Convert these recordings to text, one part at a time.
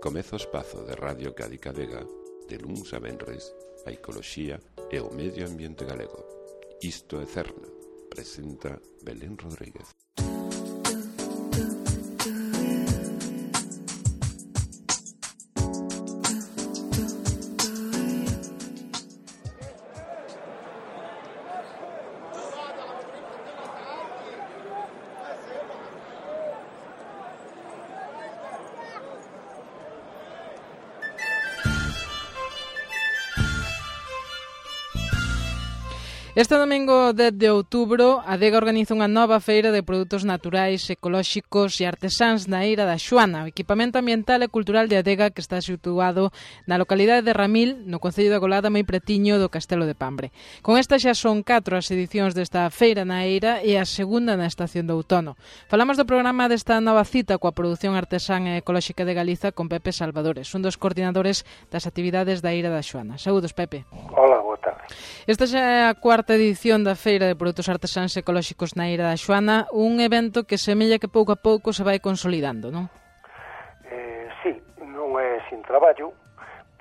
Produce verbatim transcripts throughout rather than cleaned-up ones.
Comeza o espazo de Radio Cádiz Vega, de luns a venres, a ecoloxía e o medio ambiente galego. Isto é Cerna, presenta Belén Rodríguez. Este domingo dez de outubro, a Adega organiza unha nova feira de produtos naturais, ecolóxicos e artesáns na Eira da Xoana, o equipamento ambiental e cultural de Adega que está situado na localidade de Ramil, no concello de Agolada, moi pretiño do Castelo de Pambre. Con esta xa son catro as edicións desta feira na Eira e a segunda na estación de outono. Falamos do programa desta nova cita coa produción artesán e ecolóxica de Galiza con Pepe Salvadores, un dos coordinadores das actividades da Eira da Xoana. Saúdos, Pepe. Hola, boa tarde. Esta xa é a cuarta edición da Feira de Produtos Artesáns Ecolóxicos na Eira da Xoana, un evento que semella que pouco a pouco se vai consolidando, non? Eh, sí, non é sin traballo,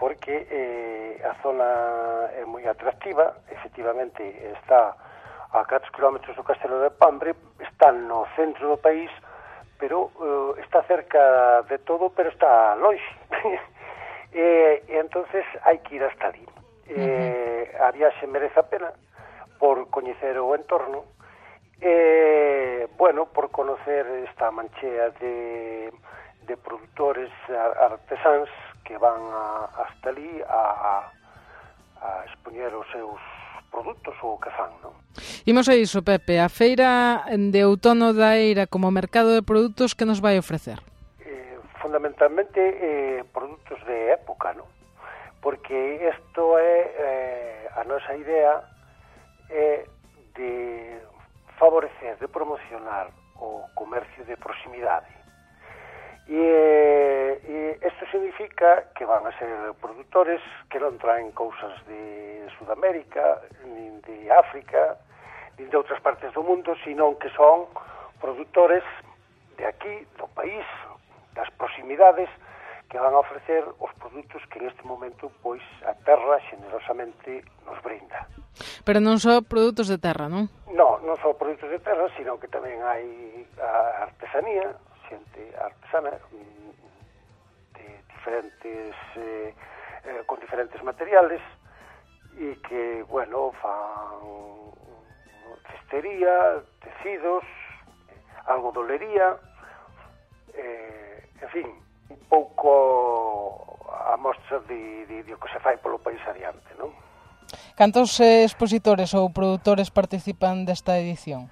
porque eh, a zona é moi atractiva, efectivamente está a catro kilómetros do Castelo de Pambre, está no centro do país, pero eh, está cerca de todo, pero está longe. e, e entonces hai que ir hasta ali. Eh, uh-huh. A viaxe merece a pena por coñecer o entorno e, bueno, por conocer esta manchea de, de produtores artesáns que van a, hasta ali a, a expoñer os seus produtos ou o que fan, non? Imos a iso, Pepe, a feira de outono da Eira como mercado de produtos que nos vai ofrecer? Eh, fundamentalmente eh, produtos de época, non? Porque isto é eh, a nosa idea é de favorecer, de promocionar o comercio de proximidade. E isto significa que van a ser produtores que non traen cousas de Sudamérica, nin de África, nin de outras partes do mundo, sino que son produtores de aquí, do país, das proximidades, que van a ofrecer os produtos que neste momento pois a terra xenerosamente nos brinda. Pero non só produtos de terra, non? Non, non só produtos de terra, sino que tamén hai a artesanía, xente artesana de diferentes eh, eh, con diferentes materiales e que, bueno, fan cestería, tecidos, algodolería, eh, en fin, un pouco a mostra de, de, de o que se fai polo país adiante, non? Cantos eh, expositores ou produtores participan desta edición?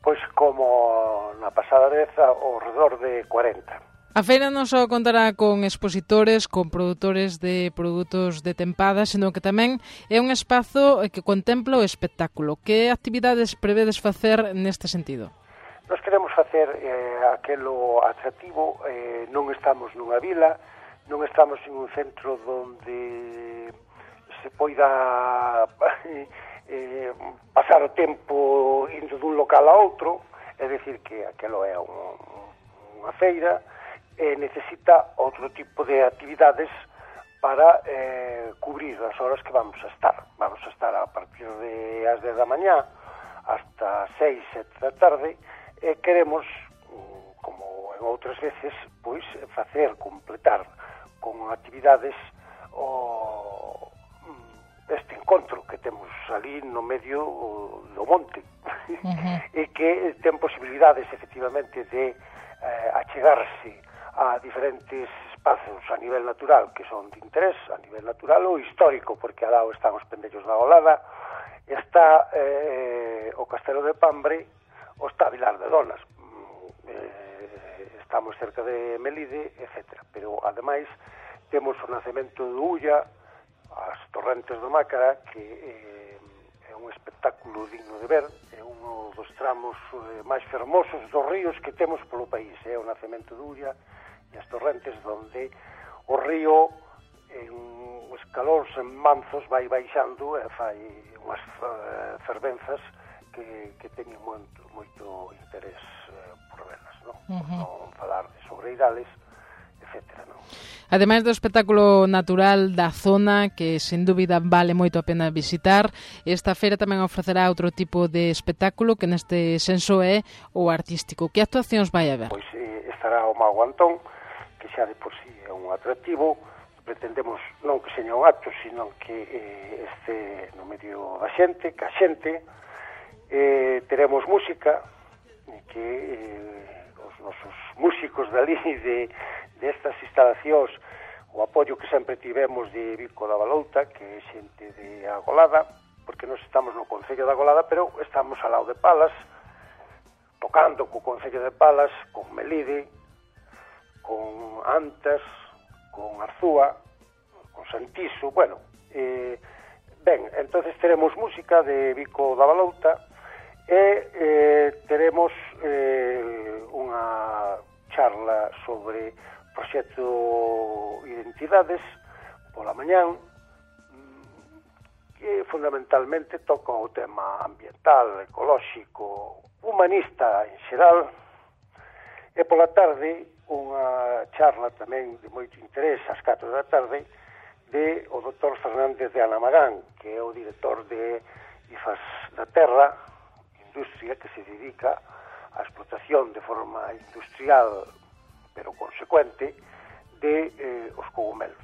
Pois como na pasada vez, ao redor de cuarenta. A feira non só contará con expositores, con produtores de produtos de tempada, senón que tamén é un espazo que contempla o espectáculo. Que actividades prevedes facer neste sentido? Nos queremos facer eh, aquelo atractivo, eh, non estamos nunha vila, non estamos en un centro onde se poida eh, pasar o tempo indo dun local a outro, é dicir que aquelo é un, unha feira e necesita outro tipo de actividades para eh, cubrir as horas que vamos a estar. Vamos a estar a partir de as dez da mañá hasta seis, sete da tarde, e queremos, como en outras veces, pois facer, completar con actividades o este encontro que temos ali no medio do monte. Uh-huh. E que ten posibilidades, efectivamente, de eh, achegarse a diferentes espazos a nivel natural que son de interés, a nivel natural ou histórico, porque al lado están os pendellos da Agolada, está eh, o Castelo de Pambre, o está Vilar de Donas, eh, estamos cerca de Melide, etcétera. Pero, ademais, temos o nacemento de Ulla, as torrentes do Mácara, que eh, é un espectáculo digno de ver, é un dos tramos eh, máis fermosos dos ríos que temos polo país, é o nacemento de Ulla e as torrentes, donde o río en os calóns en manzos vai baixando e fai unhas uh, fervenzas que, que teñen moito, moito interés eh, por velas, non? Uh-huh. Por non falar de sobreirales, etcétera, non? Ademais do espectáculo natural da zona, que sen dúbida vale moito a pena visitar, esta feira tamén ofrecerá outro tipo de espectáculo que neste senso é o artístico. Que actuacións vai haber? Pois eh, estará o Mago Antón, que xa de por sí é un atractivo. Pretendemos non que seña un acto, sino que eh, este no medio da xente, que a xente. Eh, teremos música, que eh, os nosos músicos dali de destas instalacións, o apoio que sempre tivemos de Vico da Balouta, que é xente de Agolada, porque nós estamos no Concello de Agolada, pero estamos ao lado de Palas, tocando co Concello de Palas, con Melide, con Antas, con Arzúa, con Santiso, bueno, eh, ben, entonces teremos música de Vico da Balouta e eh, teremos eh, unha charla sobre proxecto Identidades pola mañán, que fundamentalmente toca o tema ambiental, ecolóxico, humanista en xeral, e pola tarde unha charla tamén de moito interés ás catro da tarde de o doutor Fernández de Anamagán, que é o director de I F A S da Terra, industria que se dedica á explotación de forma industrial pero consecuente de eh, os cogumelos.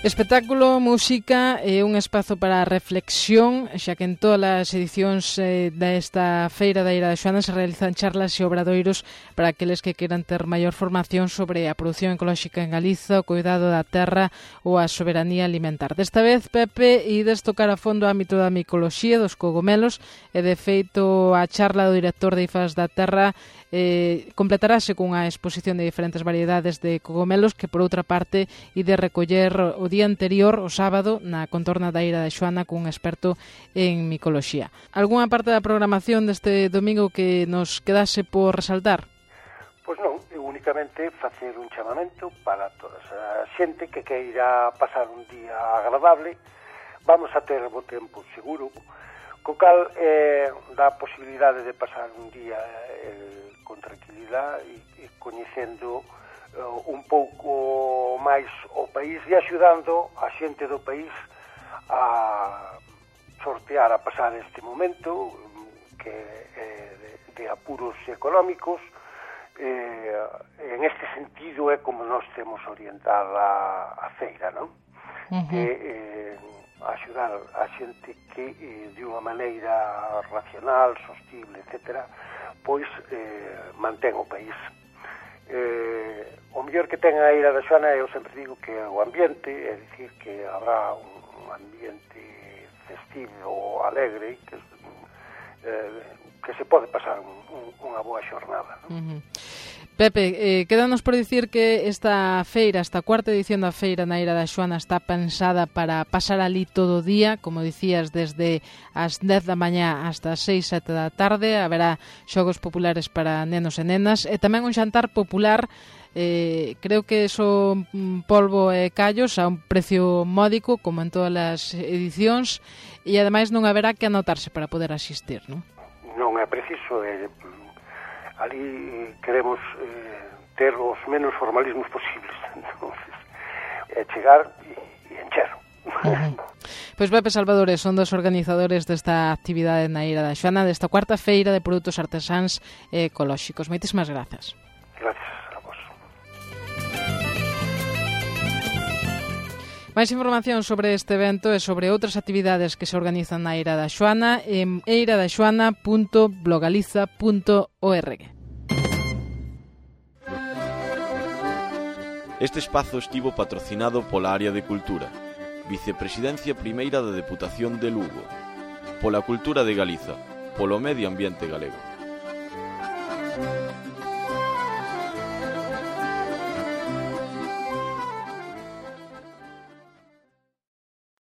Espectáculo, música e un espazo para a reflexión, xa que en todas as edicións eh, desta Feira da Eira da Xoana se realizan charlas e obradoiros para aqueles que queran ter maior formación sobre a produción ecolóxica en Galiza, o cuidado da terra ou a soberanía alimentar. Desta vez, Pepe, ides tocar a fondo o ámbito da micoloxía, dos cogomelos, e de feito a charla do director de I F A S da Terra eh, completarase cunha exposición de diferentes variedades de cogomelos que, por outra parte, ide recoller o día anterior, o sábado, na contorna da Eira da Xoana cun experto en micoloxía. Algúnha parte da programación deste domingo que nos quedase por resaltar? Pois non, eu únicamente facer un chamamento para toda a xente que queira pasar un día agradable. Vamos a ter bo tempo seguro, co cal eh, dá a posibilidade de pasar un día eh, con tranquilidade e, e coñecendo uh, un pouco máis o país e axudando a xente do país a sortear, a pasar este momento que é de, de apuros económicos. Eh, en este sentido é como nós temos orientada a feira, non? Uh-huh. Que eh, axudar a xente que eh, de unha maneira racional, sostible, etcétera, pois eh, mantén o país. Eh, o mellor que ten a Eira da Xoana, eu sempre digo que é o ambiente, é dicir que habrá un ambiente festivo, alegre, que, eh, que se pode pasar un, un, unha boa xornada, non? Uh-huh. Pepe, eh, quédanos por dicir que esta feira, esta cuarta edición da feira na Eira da Xoana está pensada para pasar ali todo o día, como dicías, desde as dez da mañá hasta as seis, sete da tarde. Haberá xogos populares para nenos e nenas e tamén un xantar popular, eh, creo que son polvo e callos a un precio módico, como en todas as edicións, e ademais non haberá que anotarse para poder asistir, non? Non é preciso, é... ali queremos eh, ter os menos formalismos posibles, entonces é chegar e, e encher. Uh-huh. Pois Pepe Salvadores son dos organizadores desta actividade na Eira da Xoana, desta cuarta feira de produtos artesáns e ecolóxicos. Moitísimas grazas. Gracias a vos. Mais información sobre este evento e sobre outras actividades que se organizan na Eira da Xoana en eira da xoana punto blogaliza punto org. Este espazo estivo patrocinado pola Área de Cultura, Vicepresidencia Primeira da Deputación de Lugo, pola Cultura de Galiza, polo Medio Ambiente Galego.